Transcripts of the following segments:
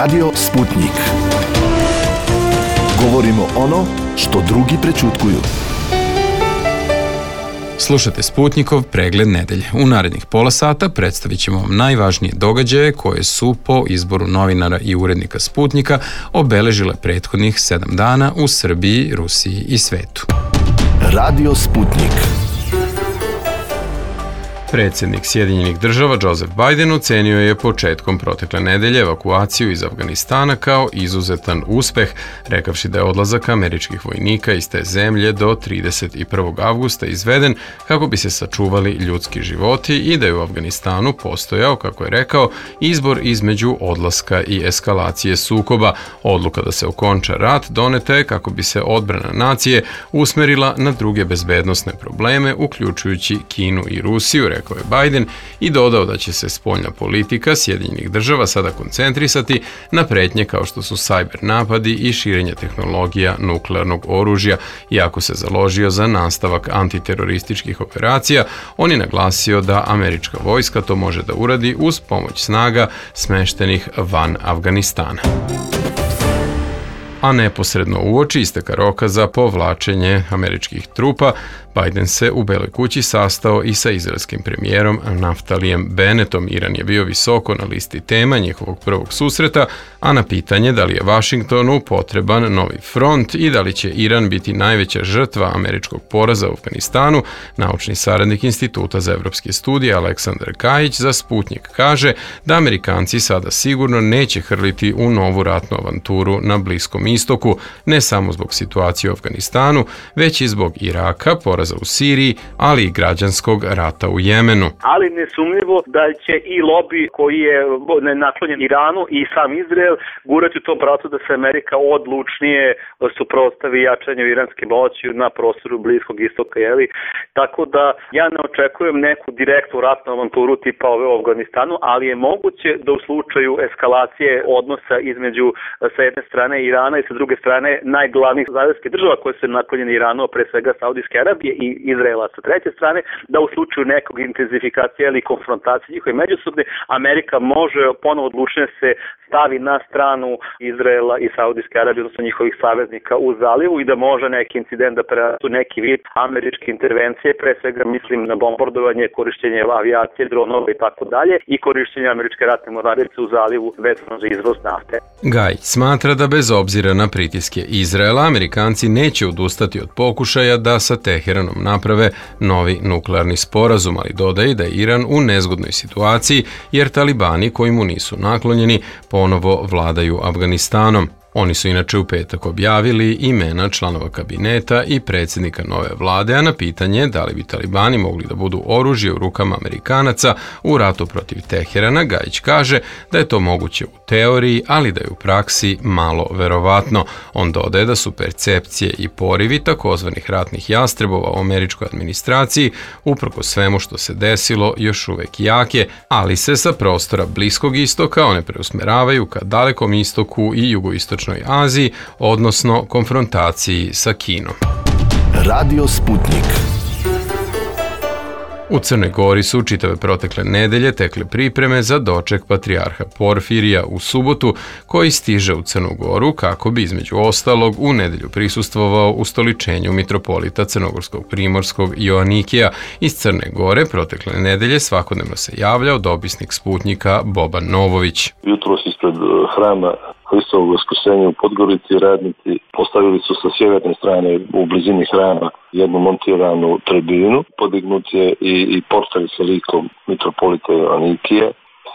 Radio Sputnik. Govorimo ono što drugi prećutkuju. Slušate Sputnikov pregled nedelje. U narednih pola sata predstavit ćemo vam najvažnije događaje koje su po izboru novinara i urednika Sputnika obeležile prethodnih 7 dana u Srbiji, Rusiji i svetu. Radio Sputnik. Predsjednik Sjedinjenih država Joseph Biden ocenio je početkom protekle nedelje evakuaciju iz Afganistana kao izuzetan uspeh, rekavši da je odlazak američkih vojnika iz te zemlje do 31. avgusta izveden kako bi se sačuvali ljudski životi i da je u Afganistanu postojao, kako je rekao, izbor između odlaska i eskalacije sukoba. Odluka da se okonča rat doneta je kako bi se odbrana nacije usmerila na druge bezbednosne probleme, uključujući Kinu i Rusiju, rekao je Biden, i dodao da će se spoljna politika Sjedinjenih država sada koncentrisati na pretnje kao što su sajber napadi i širenje tehnologija nuklearnog oružja. Iako se založio za nastavak antiterorističkih operacija, on je naglasio da američka vojska to može da uradi uz pomoć snaga smeštenih van Afganistana. A neposredno uoči isteka roka za povlačenje američkih trupa, Biden se u Beloj kući sastao i sa izraelskim premijerom Naftalijem Bennetom. Iran je bio visoko na listi tema njihovog prvog susreta, a na pitanje da li je Vašingtonu potreban novi front i da li će Iran biti najveća žrtva američkog poraza u Afganistanu, naučni saradnik Instituta za evropske studije Aleksandar Kajić za Sputnik kaže da Amerikanci sada sigurno neće hrliti u novu ratnu avanturu na Bliskom istoku, ne samo zbog situacije u Afganistanu, već i zbog Iraka, poraza u Siriji, ali i građanskog rata u Jemenu. Ali nesumnjivo da će i lobi koji je naklonjen Iranu i sam Izrael gurati u tom pravcu da se Amerika odlučnije suprotstavi jačanju iranske moći na prostoru Bliskog istoka. Tako da ja ne očekujem neku direktnu ratnu avanturu tipa ove u Afganistanu, ali je moguće da u slučaju eskalacije odnosa između sa jedne strane Irana i sa druge strane najglavnijih zajedničkih država koje su naklonjene Iranu, pre svega Saudijske Arabije i Izraela sa treće strane, da u slučaju nekog intenzifikacije ili konfrontacije njihove međusobne, Amerika može ponovo odlučnije se stavi na stranu Izraela i Saudijske Arabije, odnosno njihovih saveznika u zalivu i da može neki incident da prerastu neki vid američke intervencije, pre svega mislim na bombardovanje, korišćenje avijacije, dronova i tako dalje i korišćenje američke ratne mornarice u zalivu vezano za izvoz nafte. Gajić smatra da bez obzira na pritiske Izraela, Amerikanci neće odustati od pokušaja da sa Teheranom naprave novi nuklearni sporazum, ali dodaje da je Iran u nezgodnoj situaciji jer talibani koji mu nisu naklonjeni ponovo vladaju Afganistanom. Oni su inače u petak objavili imena članova kabineta i predsjednika nove vlade, a na pitanje da li bi talibani mogli da budu oružje u rukama Amerikanaca u ratu protiv Teherana, Gajić kaže da je to moguće u teoriji, ali da je u praksi malo verovatno. On dodaje da su percepcije i porivi takozvanih ratnih jastrebova u američkoj administraciji, uprkos svemu što se desilo, još uvek jake, ali se sa prostora Bliskog istoka one preusmeravaju ka Dalekom istoku i jugoistočnoj Aziji, odnosno konfrontaciji sa Kinom. Radio Sputnik. U Crnoj Gori su čitave protekle nedelje tekle pripreme za doček patrijarha Porfirija u subotu, koji stiže u Crnu Goru kako bi između ostalog u nedelju prisustvovao ustoličenju mitropolita crnogorskog primorskog Joanikija. Iz Crne Gore protekle nedelje svakodnevno se javljao dopisnik Sputnika Boban Novović. Jutros ispred hrama Hristovog Vaskrsenja u Podgorici radnici postavili su sa sjeverne strane u blizini hrama jednu montiranu tribinu. Podignut je i portal sa likom mitropolita Joanikija.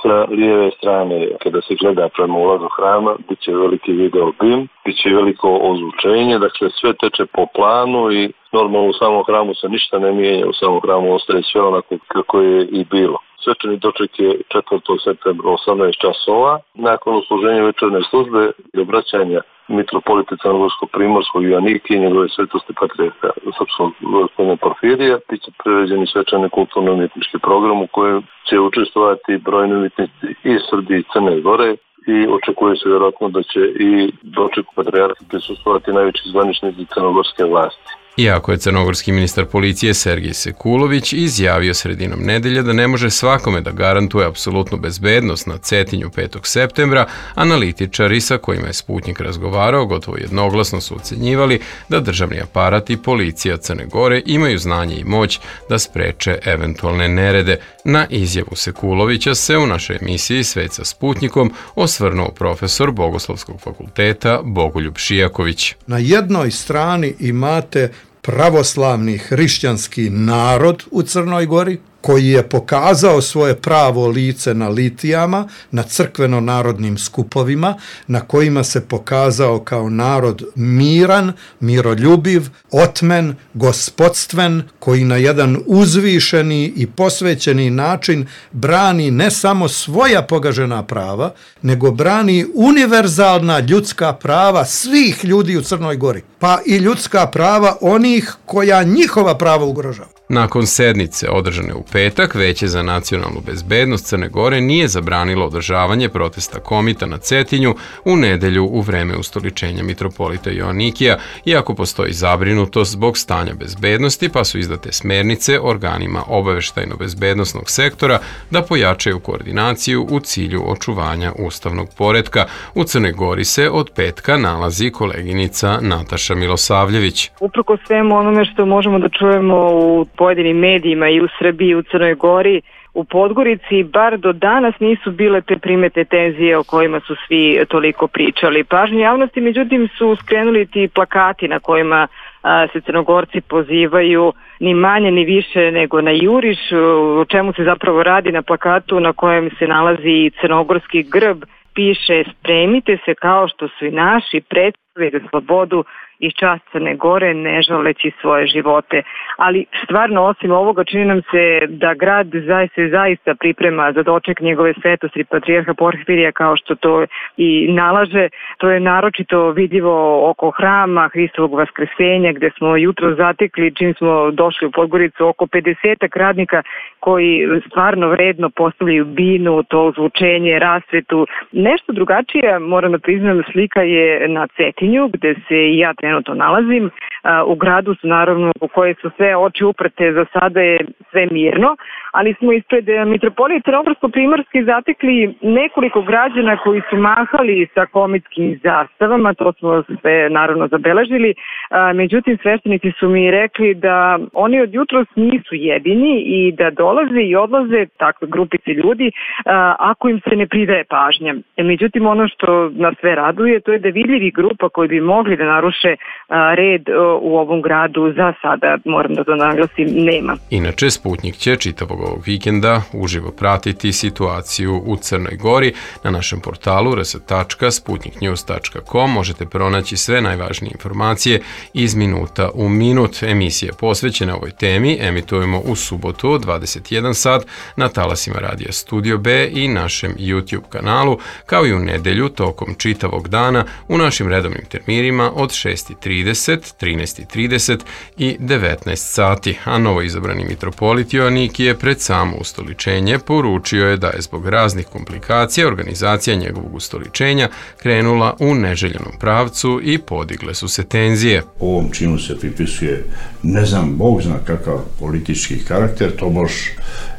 Sa lijeve strane, kada se gleda prema ulazu hrama, bit će veliki video bim, bit će veliko ozvučenje, dakle sve teče po planu i normalno u samom hramu se ništa ne mijenja, u samom hramu ostaje sve onako kako je i bilo. Svečani doček je 4. septembra 18 časova. Nakon usluženja večernje službe i obraćanja mitropolita crnogorsko-primorskog Joanikija i njegove svetosti patrijarha srpskog gospodina Porfirija, bit će priređeni svečani kulturno-umjetnički program u kojem će učestvovati brojni umjetnici iz Srbije i Crne Gore i očekuje se vjerojatno da će i dočeku patrijarha prisustvovati najveći zvaničnici crnogorske vlasti. Iako je crnogorski ministar policije Sergij Sekulović izjavio sredinom nedelje da ne može svakome da garantuje apsolutnu bezbednost na Cetinju 5. septembra, analitičari sa kojima je Sputnik razgovarao gotovo jednoglasno su ocenjivali da državni aparat i policija Crne Gore imaju znanje i moć da spreče eventualne nerede. Na izjavu Sekulovića se u našoj emisiji Svet sa Sputnikom osvrnuo profesor Bogoslovskog fakulteta Bogoljub Šijaković. Na jednoj strani imate pravoslavni hrišćanski narod u Crnoj Gori, koji je pokazao svoje pravo lice na litijama, na crkveno-narodnim skupovima, na kojima se pokazao kao narod miran, miroljubiv, otmen, gospodstven, koji na jedan uzvišeni i posvećeni način brani ne samo svoja pogažena prava, nego brani univerzalna ljudska prava svih ljudi u Crnoj Gori, pa i ljudska prava onih koja njihova prava ugrožava. Nakon sednice održane u petak, Veće za nacionalnu bezbednost Crne Gore nije zabranilo održavanje protesta komita na Cetinju u nedelju u vreme ustoličenja mitropolita Joanikija, iako postoji zabrinutost zbog stanja bezbednosti, pa su izdate smernice organima obaveštajno-bezbednosnog sektora da pojačaju koordinaciju u cilju očuvanja ustavnog poretka. U Crnoj Gori se od petka nalazi koleginica Nataša Milosavljević. Uprko svemu onome što možemo da čujemo u pojedinim medijima i u Srbiji i u Crnoj Gori, u Podgorici bar do danas nisu bile te primete tenzije o kojima su svi toliko pričali. Pažnju javnosti međutim su skrenuli ti plakati na kojima se Crnogorci pozivaju ni manje ni više nego na juriš, o čemu se zapravo radi na plakatu na kojem se nalazi crnogorski grb. Piše: spremite se kao što su i naši predstavili za slobodu i čast Crne Gore, ne žaleći svoje živote. Ali stvarno, osim ovoga, čini nam se da grad zaista priprema za doček njegove svetosti patrijarha Porfirija, kao što to i nalaže. To je naročito vidljivo oko hrama Hristovog vaskrsenja, gde smo jutro zatekli, čim smo došli u Podgoricu, oko 50 radnika koji stvarno vredno postavljaju binu, to zvučenje, rasvetu. Nešto drugačija, moram da priznam, slika je na Cetinju, gde se i ja trenutno nalazim. U gradu su naravno u koje su sve oči uprte, za sada je sve mirno, ali smo ispred mitropolije Crnogorsko-primorske zatekli nekoliko građana koji su mahali sa komitskim zastavama, to smo sve naravno zabeležili. Međutim, sveštenici su mi rekli da oni od jutros nisu jedini i da dolaze i odlaze takve grupice ljudi ako im se ne pridaje pažnja. Međutim, ono što nas sve raduje, to je da vidljivi grupa koji bi mogli da naruše red u ovom gradu za sada, moram da to naglasim, nema. Inače, Sputnik će čitavog ovog vikenda uživo pratiti situaciju u Crnoj Gori. Na našem portalu rs.sputniknews.com možete pronaći sve najvažnije informacije iz minuta u minut. Emisije posvećene ovoj temi emitujemo u subotu od 21 sat na talasima Radija Studio B i našem YouTube kanalu, kao i u nedelju tokom čitavog dana u našim redovnim terminima od 6:30, 13:30 i 19 sati, a novo izabrani mitropolit Joanikije pred samo ustoličenje poručio je da je zbog raznih komplikacija organizacija njegovog ustoličenja krenula u neželjenom pravcu i podigle su se tenzije. Ovom činu se pripisuje, ne znam, Bog zna kakav politički karakter, to baš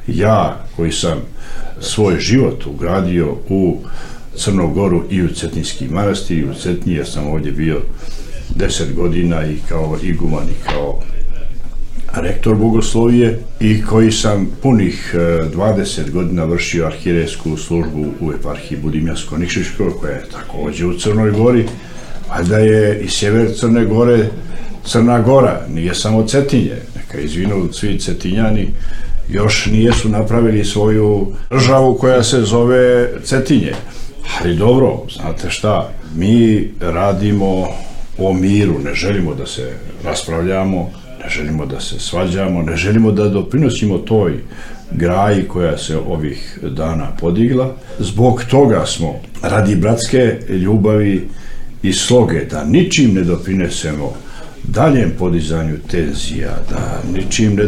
ja koji sam svoj život ugradio u Crnu Goru i u Cetinjski manastir i u Cetinji, ja sam ovdje bio 10 godina i kao iguman i kao rektor bogoslovije i koji sam punih 20 godina vršio arhijerejsku službu u eparhiji Budimljansko-Nikšićkoj, koja je također u Crnoj Gori, a da je i sjever Crne Gore Crna Gora, nije samo Cetinje, neka izvinu svi Cetinjani, još nijesu napravili svoju državu koja se zove Cetinje. Ali dobro, znate šta, mi radimo o miru, ne želimo da se raspravljamo, ne želimo da se svađamo, ne želimo da doprinosimo toj graji koja se ovih dana podigla. Zbog toga smo, radi bratske ljubavi i sloge, da ničim ne doprinesemo daljem podizanju tenzija, da ničim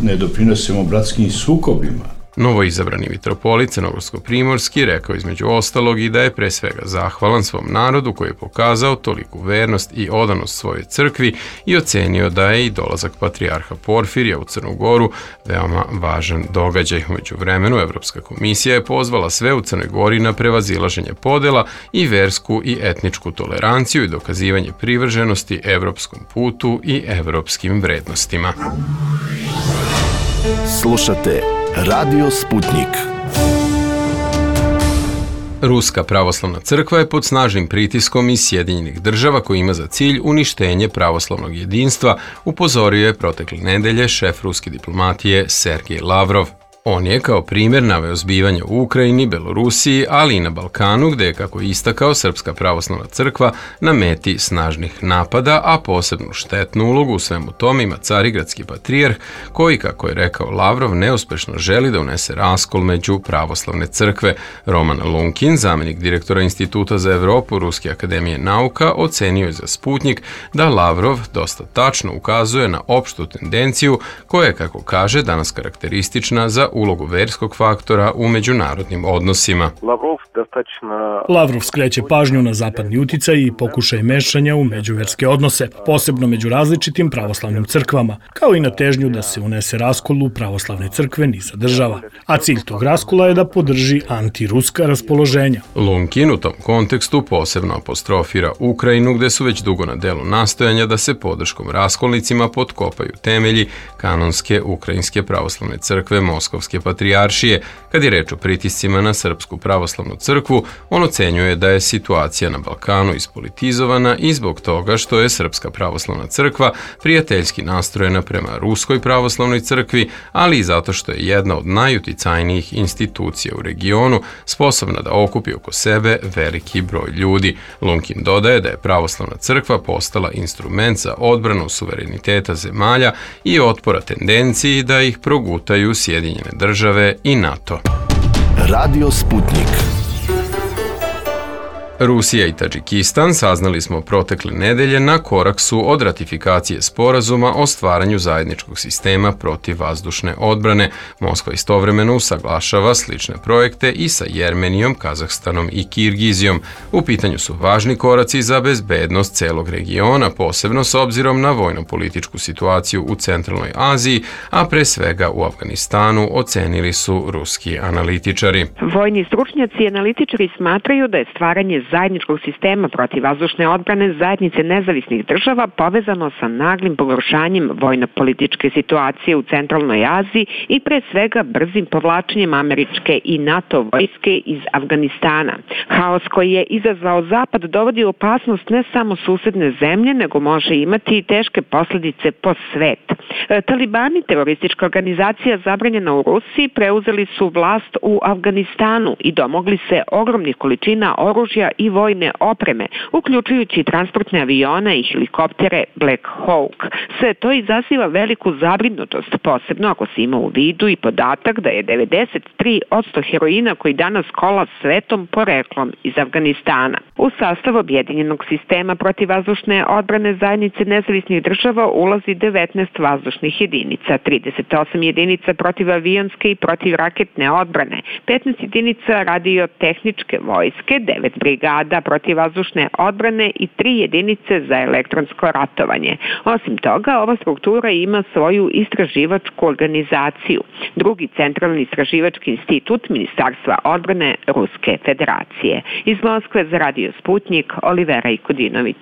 ne doprinesemo bratskim sukobima, Novoizabrani mitropolit crnogorsko-primorski rekao između ostalog i da je pre svega zahvalan svom narodu koji je pokazao toliku vernost i odanost svojoj crkvi i ocenio da je i dolazak patrijarha Porfirija u Crnu Goru veoma važan događaj. Umeđu vremenu Evropska komisija je pozvala sve u Crnoj Gori na prevazilaženje podela i versku i etničku toleranciju i dokazivanje privrženosti evropskom putu i evropskim vrednostima. Slušate Radio Sputnik. Ruska pravoslavna crkva je pod snažnim pritiskom iz Sjedinjenih Država koji ima za cilj uništenje pravoslavnog jedinstva, upozorio je protekle nedelje šef ruske diplomatije Sergej Lavrov. On je kao primjer naveo zbivanja u Ukrajini, Belorusiji, ali i na Balkanu, gde je, kako je istakao, Srpska pravoslavna crkva na meti snažnih napada, a posebnu štetnu ulogu u svemu tome ima Carigradski patrijarh, koji, kako je rekao Lavrov, neuspešno želi da unese raskol među pravoslavne crkve. Roman Lunkin, zamenik direktora Instituta za Evropu Ruske akademije nauka, ocenio je za Sputnik da Lavrov dosta tačno ukazuje na opštu tendenciju koja je, kako kaže, danas karakteristična za ulogu verskog faktora u međunarodnim odnosima. Lavrov skreće pažnju na zapadni uticaj i pokušaj mešanja u međuverske odnose, posebno među različitim pravoslavnim crkvama, kao i na težnju da se unese raskol u pravoslavne crkve niza država. A cilj tog raskola je da podrži antiruska raspoloženja. Lunkin u tom kontekstu posebno apostrofira Ukrajinu, gde su već dugo na delu nastojanja da se podrškom raskolnicima potkopaju temelji kanonske ukrajinske pravoslavne crkve Moskovske patrijaršije. Kad je reč o pritiscima na Srpsku pravoslavnu crkvu, on ocenjuje da je situacija na Balkanu ispolitizovana i zbog toga što je Srpska pravoslavna crkva prijateljski nastrojena prema Ruskoj pravoslavnoj crkvi, ali i zato što je jedna od najuticajnijih institucija u regionu, sposobna da okupi oko sebe veliki broj ljudi. Lunkin dodaje da je pravoslavna crkva postala instrument za odbranu suvereniteta zemalja i otpora tendenciji da ih progutaju Sjedinjene Države i NATO. Radio Sputnik. Rusija i Tadžikistan, saznali smo protekle nedelje, na korak su od ratifikacije sporazuma o stvaranju zajedničkog sistema protivvazdušne odbrane. Moskva istovremeno usaglašava slične projekte i sa Jermenijom, Kazahstanom i Kirgizijom. U pitanju su važni koraci za bezbednost celog regiona, posebno s obzirom na vojno-političku situaciju u Centralnoj Aziji, a pre svega u Afganistanu, ocenili su ruski analitičari. Vojni stručnjaci i analitičari smatraju da je stvaranje zajedničkog sistema protivvazdušne odbrane zajednice nezavisnih država povezano sa naglim pogoršanjem vojno-političke situacije u Centralnoj Aziji i pre svega brzim povlačenjem američke i NATO vojske iz Afganistana. Haos koji je izazvao Zapad dovodi u opasnost ne samo susedne zemlje, nego može imati i teške posljedice po svet. Talibani, teroristička organizacija zabranjena u Rusiji, preuzeli su vlast u Afganistanu i domogli se ogromnih količina oružja i vojne opreme, uključujući transportne avione i helikoptere Black Hawk. Sve to izaziva veliku zabrinutost, posebno ako se ima u vidu i podatak da je 93% heroina koji danas kola svetom poreklom iz Afganistana. U sastav objedinjenog sistema protivvazdušne odbrane zajednice nezavisnih država ulazi 19 vazdušnih jedinica, 38 jedinica protivavionske i protivraketne odbrane, 15 jedinica radiotehničke vojske, 9 brigada protivvazdušne odbrane i 3 jedinice za elektronsko ratovanje. Osim toga, ova struktura ima svoju istraživačku organizaciju, drugi centralni istraživački institut Ministarstva odbrane Ruske federacije. Iz Moskve za Radio Sputnik, Olivera Ikodinović.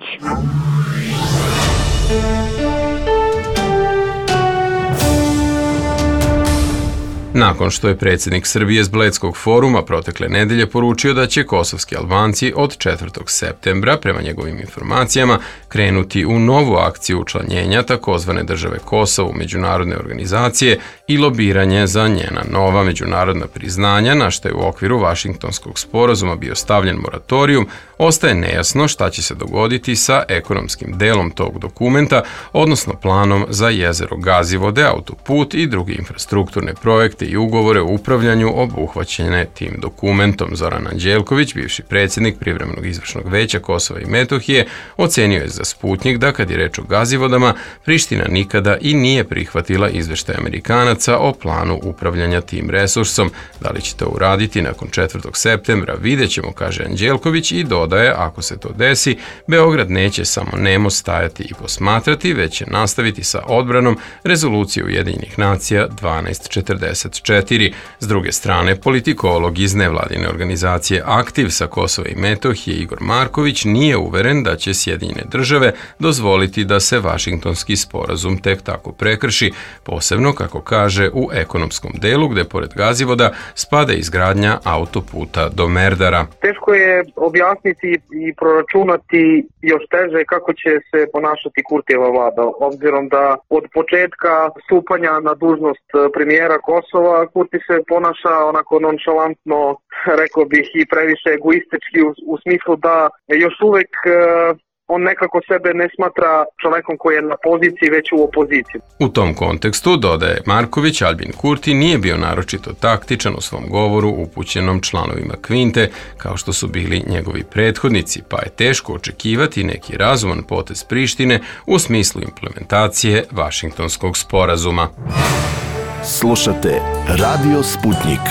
Nakon što je predsjednik Srbije s Bledskog foruma protekle nedelje poručio da će kosovski Albanci od 4. septembra, prema njegovim informacijama, krenuti u novu akciju učlanjenja takozvane države Kosovo u međunarodne organizacije i lobiranje za njena nova međunarodna priznanja, na što je u okviru Vašingtonskog sporazuma bio stavljen moratorijum, ostaje nejasno šta će se dogoditi sa ekonomskim delom tog dokumenta, odnosno planom za jezero Gazivode, autoput i drugi infrastrukturne projekte akte i ugovore o upravljanju obuhvaćene tim dokumentom. Zoran Anđelković, bivši predsjednik Privremenog izvršnog veća Kosova i Metohije, ocenio je za Sputnjik da kad je reč o Gazivodama, Priština nikada i nije prihvatila izveštaj Amerikanaca o planu upravljanja tim resursom. Da li će to uraditi nakon 4. septembra, vidjet ćemo, kaže Anđelković i dodaje, ako se to desi, Beograd neće samo nemo stajati i posmatrati, već će nastaviti sa odbranom rezolucije Ujedinjenih nacija 1244. S druge strane, politikolog iz nevladine organizacije Aktiv sa Kosova i Metohije Igor Marković nije uveren da će Sjedinjene države dozvoliti da se Vašingtonski sporazum tek tako prekrši, posebno, kako kaže, u ekonomskom delu gde pored Gazivoda spada izgradnja autoputa do Merdara. Teško je objasniti i proračunati, još teže kako će se ponašati Kurtijeva vlada, obzirom da od početka stupanja na dužnost premijera Kosova Kurti se ponaša onako nonšalantno, rekao bih i previše egoistički u smislu da još uvek on nekako sebe ne smatra čovekom koji je na poziciji, već u opoziciji. U tom kontekstu, dodaje Marković, Albin Kurti nije bio naročito taktičan u svom govoru upućenom članovima Kvinte, kao što su bili njegovi prethodnici, pa je teško očekivati neki razuman potez Prištine u smislu implementacije Vašingtonskog sporazuma. Slušate Radio Sputnik.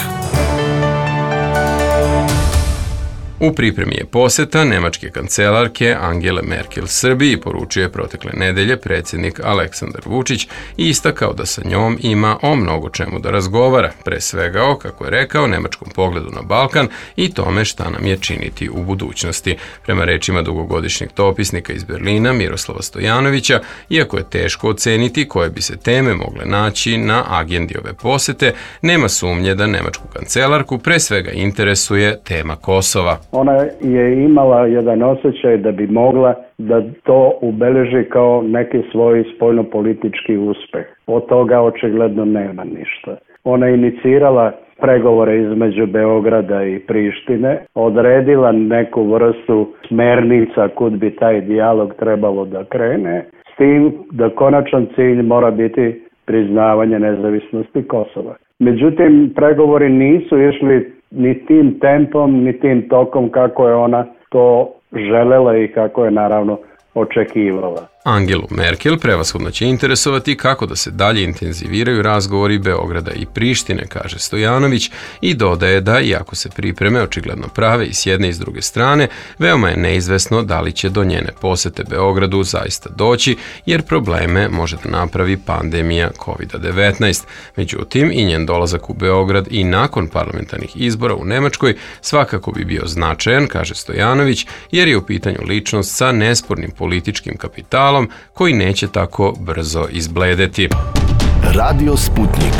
U pripremi je poseta nemačke kancelarke Angele Merkel Srbiji, poručio je protekle nedelje predsjednik Aleksandar Vučić i istakao da sa njom ima o mnogo čemu da razgovara, pre svega o, kako je rekao, nemačkom pogledu na Balkan i tome šta nam je činiti u budućnosti. Prema rečima dugogodišnjeg dopisnika iz Berlina Miroslava Stojanovića, iako je teško oceniti koje bi se teme mogle naći na agendi ove posete, nema sumnje da nemačku kancelarku pre svega interesuje tema Kosova. Ona je imala jedan osjećaj da bi mogla da to ubeleži kao neki svoj spoljnopolitički uspeh. Od toga očigledno nema ništa. Ona je inicirala pregovore između Beograda i Prištine, odredila neku vrstu smernica kud bi taj dijalog trebalo da krene, s tim da konačan cilj mora biti priznavanje nezavisnosti Kosova. Međutim, pregovori nisu išli ni tim tempom, ni tim tokom kako je ona to želela i kako je naravno očekivala. Angelu Merkel prevashodno će interesovati kako da se dalje intenziviraju razgovori Beograda i Prištine, kaže Stojanović, i dodaje da, iako se pripreme očigledno prave i s jedne i s druge strane, veoma je neizvesno da li će do njene posete Beogradu zaista doći, jer probleme može da napravi pandemija COVID-19. Međutim, i njen dolazak u Beograd i nakon parlamentarnih izbora u Nemačkoj svakako bi bio značajan, kaže Stojanović, jer je u pitanju ličnost sa nespornim političkim kapitalom koji neće tako brzo izbledeti. Radio Sputnik.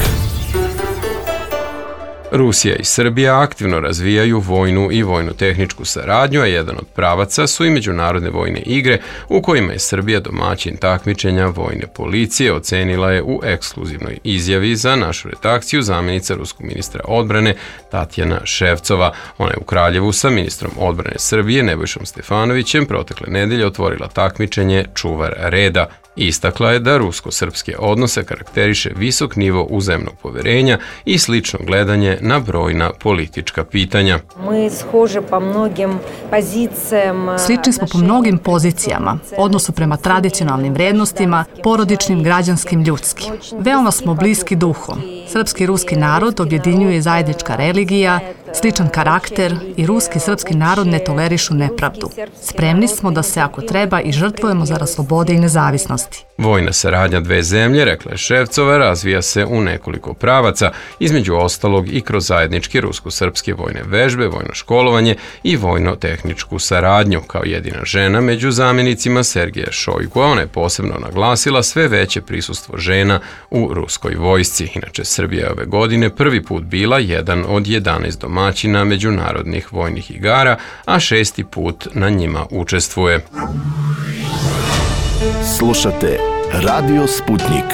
Rusija i Srbija aktivno razvijaju vojnu i vojno-tehničku saradnju, a jedan od pravaca su i međunarodne vojne igre u kojima je Srbija domaćin takmičenja vojne policije, ocenila je u ekskluzivnoj izjavi za našu redakciju zamjenica ruskog ministra odbrane Tatjana Ševcova. Ona je u Kraljevu sa ministrom odbrane Srbije Nebojšom Stefanovićem protekle nedelje otvorila takmičenje Čuvar reda. Istakla je da rusko-srpske odnose karakteriše visok nivo uzajamnog poverenja i slično gledanje na brojna politička pitanja. Slični smo po mnogim pozicijama, odnosu prema tradicionalnim vrednostima, porodičnim, građanskim, ljudskim. Veoma smo bliski duhom. Srpski i ruski narod objedinjuje zajednička religija, sličan karakter i ruski i srpski narod ne tolerišu nepravdu. Spremni smo da se, ako treba, i žrtvujemo zarad slobode i nezavisnosti. Vojna saradnja dve zemlje, rekla je Ševcova, razvija se u nekoliko pravaca, između ostalog i kroz zajedničke rusko-srpske vojne vežbe, vojno školovanje i vojno-tehničku saradnju. Kao jedina žena među zamjenicima Sergeja Šojgua, ona je posebno naglasila sve veće prisustvo žena u ruskoj vojsci. Inače, Srbija je ove godine prvi put bila jedan od 11 domaćina međunarodnih vojnih igara, a 6. put na njima učestvuje. Slušate Radio Sputnik.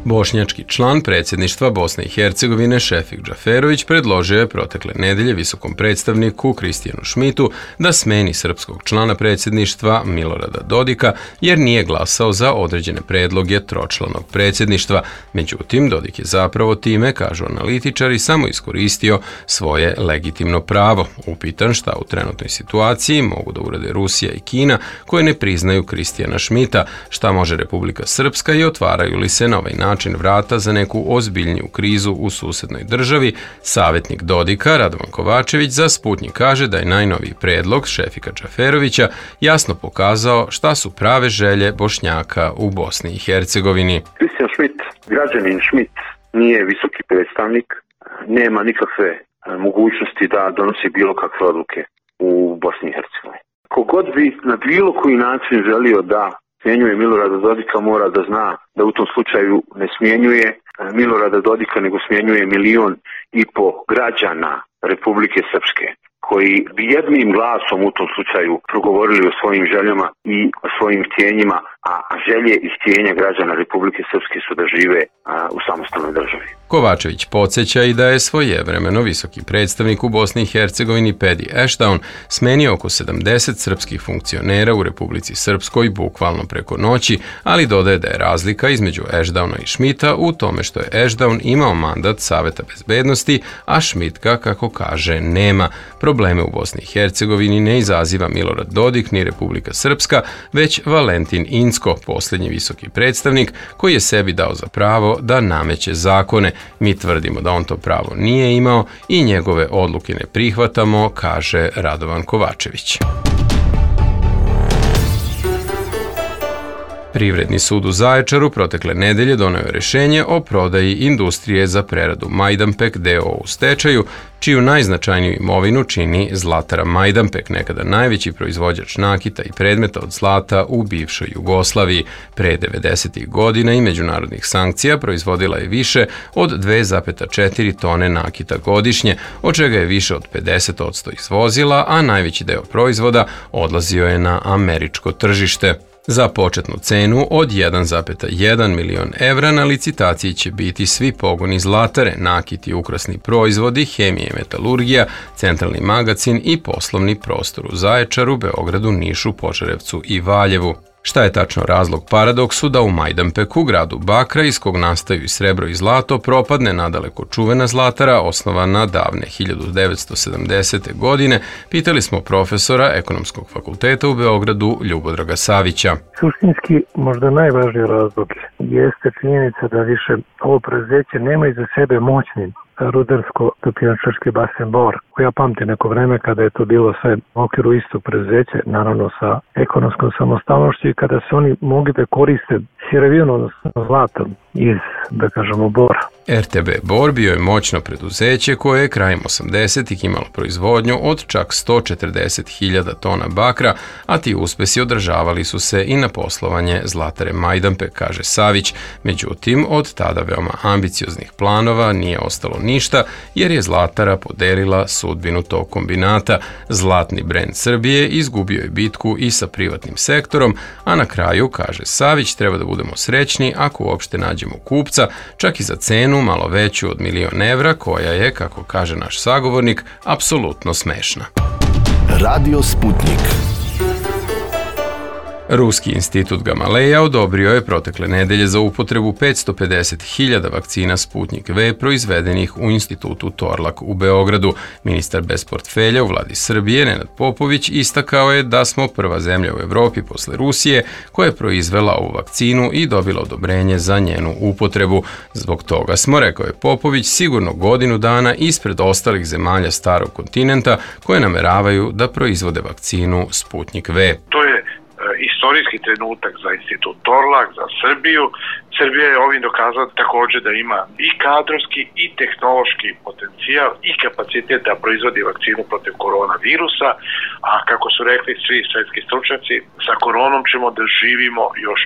Bošnjački član predsjedništva Bosne i Hercegovine Šefik Džaferović predložio je protekle nedelje visokom predstavniku Kristijanu Šmitu da smeni srpskog člana predsjedništva Milorada Dodika jer nije glasao za određene predloge tročlanog predsjedništva. Međutim, Dodik je zapravo time, kažu analitičari, samo iskoristio svoje legitimno pravo. Upitan šta u trenutnoj situaciji mogu da urade Rusija i Kina koje ne priznaju Kristijana Šmita, šta može Republika Srpska i otvaraju li se na ovaj način vrata za neku ozbiljniju krizu u susednoj državi, savjetnik Dodika Radovan Kovačević za Sputnjik kaže da je najnoviji predlog Šefika Džaferovića jasno pokazao šta su prave želje Bošnjaka u Bosni i Hercegovini. Kristijan Šmit, građanin Šmit, nije visoki predstavnik, nema nikakve mogućnosti da donosi bilo kakve odluke u Bosni i Hercegovini. Kogod bi na bilo koji način želio da smjenjuje Milorada Dodika mora da zna da u tom slučaju ne smjenjuje Milorada Dodika nego smjenjuje 1,5 miliona građana Republike Srpske koji bi jednim glasom u tom slučaju progovorili o svojim željama i o svojim htjenjima, a želje i htjenja građana Republike Srpske su da žive u samostalnoj državi. Kovačević podsjeća i da je svojevremeno visoki predstavnik u Bosni i Hercegovini Pedi Eštaun smenio oko 70 srpskih funkcionera u Republici Srpskoj bukvalno preko noći, ali dodaje da je razlika između Eštauna i Šmita u tome što je Eštaun imao mandat Saveta bezbednosti, a Šmit ga, kako kaže, nema. Probleme u Bosni i Hercegovini ne izaziva Milorad Dodik ni Republika Srpska, već Valentin Incko, posljednji visoki predstavnik koji je sebi dao za pravo da nameće zakone. Mi tvrdimo da on to pravo nije imao i njegove odluke ne prihvatamo, kaže Radovan Kovačević. Privredni sud u Zaječaru protekle nedelje doneo je rješenje o prodaji industrije za preradu Majdanpek d.o.o. u stečaju, čiju najznačajniju imovinu čini Zlatara Majdanpek, nekada najveći proizvođač nakita i predmeta od zlata u bivšoj Jugoslaviji. Pre 90. godina i međunarodnih sankcija proizvodila je više od 2,4 tone nakita godišnje, od čega je više od 50% izvozila, a najveći deo proizvoda odlazio je na američko tržište. Za početnu cenu od 1,1 milion evra na licitaciji će biti svi pogoni Zlatare, nakit i ukrasni proizvodi, hemija i metalurgija, centralni magacin i poslovni prostor u Zaječaru, Beogradu, Nišu, Požarevcu i Valjevu. Šta je tačno razlog paradoksu da u Majdanpeku, gradu Bakra, iz kog nastaju i srebro i zlato, propadne nadaleko čuvena Zlatara, osnovana davne 1970. godine, pitali smo profesora Ekonomskog fakulteta u Beogradu Ljubodraga Savića. Suštinski, možda najvažniji razlog jeste činjenica da više ovo preduzeće nema iza sebe moćni rudarsko-topioničarski basen Bor, koji ja pamtim neko vreme kada je to bilo sve u okviru istog preduzeća, naravno sa ekonomskom samostalnošću i kada se oni mogli da koriste sirovinu, odnosno zlatom iz, da kažemo, Bora. RTB Bor bio je moćno preduzeće koje je krajem 80-ih imalo proizvodnju od čak 140.000 tona bakra, a ti uspesi održavali su se i na poslovanje Zlatare Majdanpek, kaže Savić. Međutim, od tada veoma ambicioznih planova nije ostalo ništa, jer je Zlatara podelila sudbinu tog kombinata. Zlatni brend Srbije izgubio je bitku i sa privatnim sektorom, a na kraju, kaže Savić, treba da budemo srećni ako uopšte nađemo kupca, čak i za cenu malo veću od 1 milion evra, koja je, kako kaže naš sagovornik, apsolutno smešna. Radio Sputnik. Ruski institut Gamaleja odobrio je protekle nedelje za upotrebu 550.000 vakcina Sputnik V proizvedenih u institutu Torlak u Beogradu. Ministar bez portfelja u vladi Srbije, Nenad Popović, istakao je da smo prva zemlja u Evropi posle Rusije koja je proizvela ovu vakcinu i dobila odobrenje za njenu upotrebu. Zbog toga smo, rekao je Popović, sigurno godinu dana ispred ostalih zemalja starog kontinenta koje nameravaju da proizvode vakcinu Sputnik V. To je istorijski trenutak za institut Torlak, za Srbiju. Srbija je ovim dokazala također da ima i kadrovski i tehnološki potencijal i kapacitet da proizvodi vakcinu protiv koronavirusa, a kako su rekli svi svetski stručnjaci, sa koronom ćemo da živimo još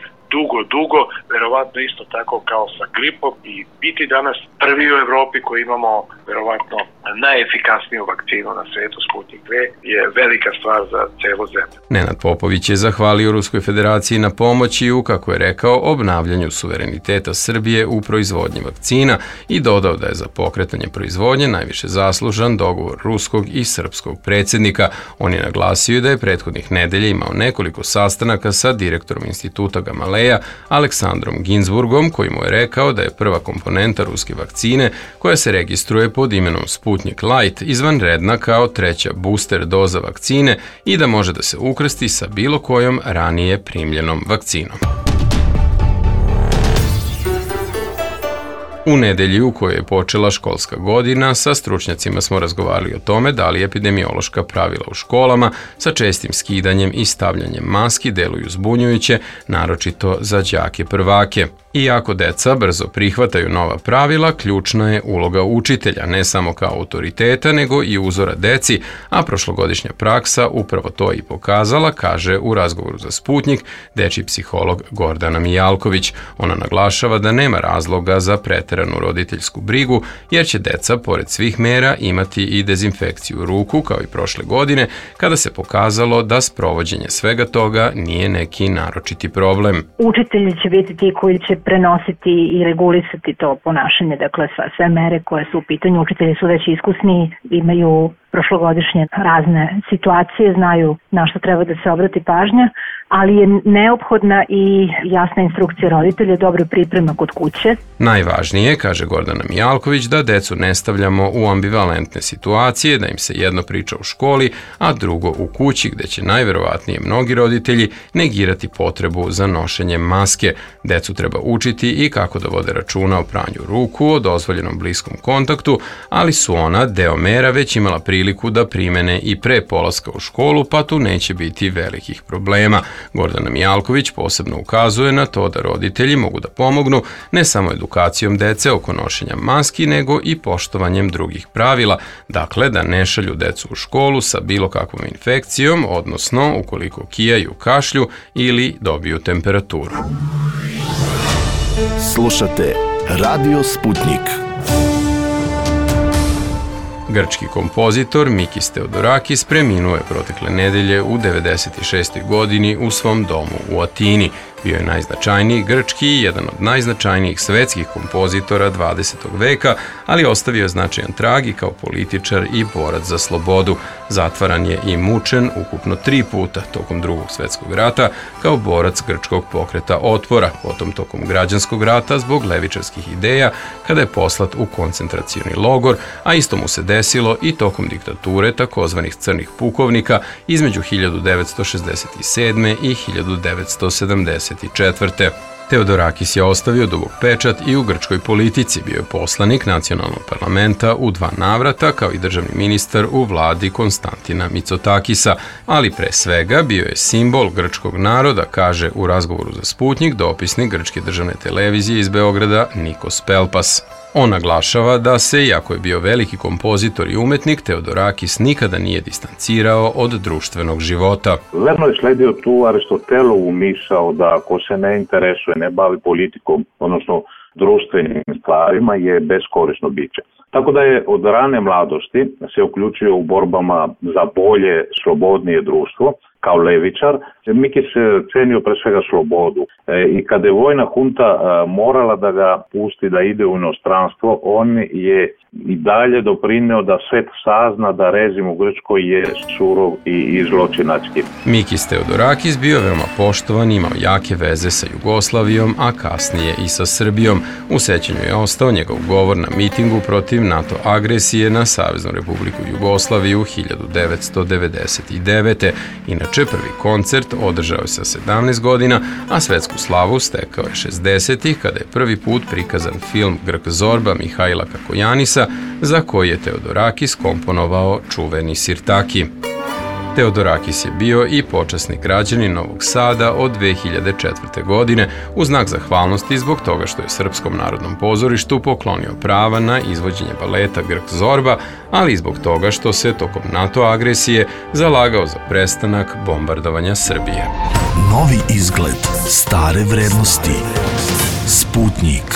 dugo, verovatno isto tako kao sa gripom, i biti danas prvi u Evropi koji imamo verovatno najefikasniju vakcinu na svetu, Sputnik V, je velika stvar za celu zemlju. Nenad Popović je zahvalio Ruskoj federaciji na pomoći u, kako je rekao, obnavljanju suvereniteta Srbije u proizvodnji vakcina i dodao da je za pokretanje proizvodnje najviše zaslužan dogovor ruskog i srpskog predsjednika. On je naglasio da je prethodnih nedelja imao nekoliko sastanaka sa direktorom instituta Gamaleja Aleksandrom Ginsburgom, koji mu je rekao da je prva komponenta ruske vakcine, koja se registruje pod imenom Sputnik Light, izvanredna kao treća booster doza vakcine i da može da se ukrsti sa bilo kojom ranije primljenom vakcinom. U nedelji u kojoj je počela školska godina, sa stručnjacima smo razgovarali o tome da li epidemiološka pravila u školama sa čestim skidanjem i stavljanjem maski deluju zbunjujuće, naročito za đake prvake. Iako deca brzo prihvataju nova pravila, ključna je uloga učitelja, ne samo kao autoriteta, nego i uzora deci, a prošlogodišnja praksa upravo to i pokazala, kaže u razgovoru za Sputnik dečji psiholog Gordana Mijalković. Ona naglašava da nema razloga za preteranu roditeljsku brigu, jer će deca, pored svih mera, imati i dezinfekciju ruku, kao i prošle godine, kada se pokazalo da sprovođenje svega toga nije neki naročiti problem. Učitelji će biti ti koji će prenositi i regulisati to ponašanje, dakle sve mere koje su u pitanju. Učitelji su već iskusni, imaju prošlogodišnje razne situacije, znaju na što treba da se obrati pažnja, ali je neophodna i jasna instrukcija roditelja, dobra priprema kod kuće. Najvažnije, kaže Gordana Mijalković, da decu ne stavljamo u ambivalentne situacije, da im se jedno priča u školi, a drugo u kući, gde će najverovatnije mnogi roditelji negirati potrebu za nošenjem maske. Decu treba učiti i kako da vode računa o pranju ruku, o dozvoljenom bliskom kontaktu, ali su ona, deo mera, već imala priliku da primene i pre polaska u školu, pa tu neće biti velikih problema. Gordana Mijalković posebno ukazuje na to da roditelji mogu da pomognu ne samo edukacijom dece oko nošenja maski, nego i poštovanjem drugih pravila, dakle da ne šalju decu u školu sa bilo kakvom infekcijom, odnosno ukoliko kijaju, kašlju ili dobiju temperaturu. Slušate Radio Sputnik. Grčki kompozitor Mikis Theodorakis preminuo je protekle nedelje u 96. godini u svom domu u Atini. Bio je najznačajniji grčki i jedan od najznačajnijih svetskih kompozitora 20. veka, ali ostavio je značajan trag i kao političar i borac za slobodu. Zatvaran je i mučen ukupno 3 puta tokom Drugog svetskog rata kao borac grčkog pokreta otpora, potom tokom građanskog rata zbog levičarskih ideja kada je poslat u koncentracioni logor, a isto mu se desilo i tokom diktature takozvanih crnih pukovnika između 1967. i 1974. Theodorakis je ostavio dubok pečat i u grčkoj politici, bio je poslanik nacionalnog parlamenta u 2 navrata, kao i državni ministar u vladi Konstantina Mitsotakisa, ali pre svega bio je simbol grčkog naroda, kaže u razgovoru za Sputnik dopisnik grčke državne televizije iz Beograda Nikos Pelpas. On naglašava da se, iako je bio veliki kompozitor i umetnik, Theodorakis nikada nije distancirao od društvenog života. Verno je sledio tu Aristotelovu misao da ako se ne interesuje, ne bavi politikom, odnosno društvenim stvarima, je beskorisno biće. Tako da je od rane mladosti se uključio u borbama za bolje, slobodnije društvo, kao levičar. Mikis se cenio pre svega slobodu i kada je vojna hunta morala da ga pusti da ide u inostranstvo, on je i dalje doprineo da svet sazna da režim u Grčkoj je surov i zločinački. Mikis Theodorakis bio veoma poštovan, imao jake veze sa Jugoslavijom, a kasnije i sa Srbijom. U sećanju je ostao njegov govor na mitingu protiv NATO agresije na Saveznu Republiku Jugoslaviju 1999. Inače, prvi koncert održao je sa 17 godina, a svetsku slavu stekao je 60-ih, kada je prvi put prikazan film Grk Zorba Mihajla Kakojanisa, za koji je Theodorakis komponovao čuveni Sirtaki. Teodorakis je bio i počasni građanin Novog Sada od 2004. godine u znak zahvalnosti zbog toga što je Srpskom narodnom pozorištu poklonio prava na izvođenje baleta Grk Zorba, ali i zbog toga što se tokom NATO agresije zalagao za prestanak bombardovanja Srbije. Novi izgled, stare vrednosti. Sputnik.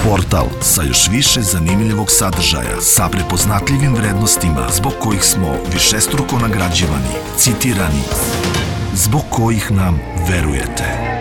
Portal sa još više zanimljivog sadržaja, sa prepoznatljivim vrednostima zbog kojih smo višestruko nagrađivani, citirani, zbog kojih nam verujete.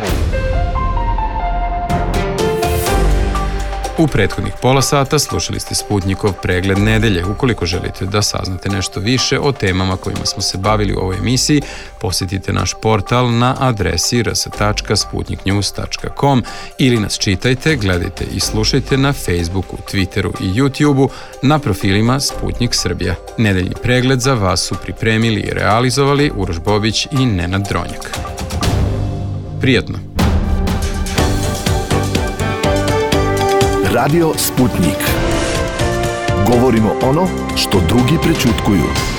U prethodnih pola sata slušali ste Sputnikov pregled nedelje. Ukoliko želite da saznate nešto više o temama kojima smo se bavili u ovoj emisiji, posjetite naš portal na adresi rs.sputniknews.com ili nas čitajte, gledajte i slušajte na Facebooku, Twitteru i YouTubeu na profilima Sputnik Srbija. Nedeljni pregled za vas su pripremili i realizovali Uroš Bobić i Nenad Dronjak. Prijatno! Radio Sputnik. Govorimo ono što drugi prećutkuju.